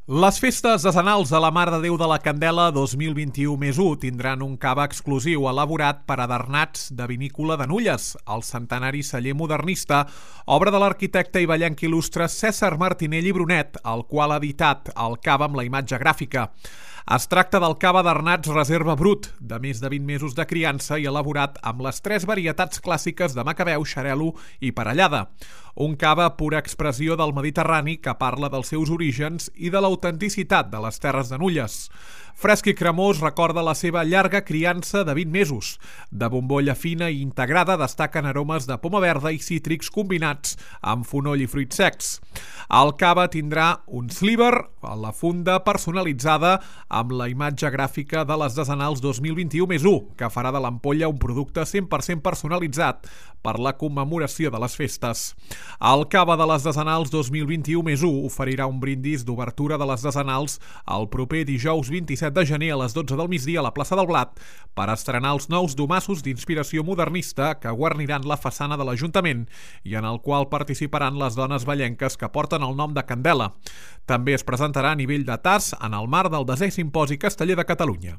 Les festes decenals de la Mare de Déu de la Candela 2021+1 tindran un cava exclusiu elaborat per adernats de vinícola de Nulles, el centenari celler modernista, obra de l'arquitecte i ballenc il·lustre César Martinell i Brunet, el qual ha editat el cava amb la imatge gràfica. Es tracta del cava d'Arnats Reserva Brut, de més de 20 mesos de criança i elaborat amb les 3 varietats clàssiques de macabeu, xarel·lo i parellada. Un cava pura expressió del Mediterrani que parla dels seus orígens i de l'autenticitat de les terres de Nulles. Fresc i cremós recorda la seva llarga criança de 20 mesos. De bombolla fina i integrada destaquen aromes de poma verda i cítrics combinats amb fonoll i fruits secs. El cava tindrà un sliver a la funda personalitzada amb la imatge gràfica de les decenals 2021+1, que farà de l'ampolla un producte 100% personalitzat per la commemoració de les festes. El cava de les decenals 2021+1 oferirà un brindis d'obertura de les decenals el proper dijous 27 de gener a les 12 del migdia a la plaça del Blat per estrenar els nous domassos d'inspiració modernista que guarniran la façana de l'Ajuntament i en el qual participaran les dones ballenques que porten el nom de Candela. També es presentarà a nivell de tas en el marc del 10è Simposi Casteller de Catalunya.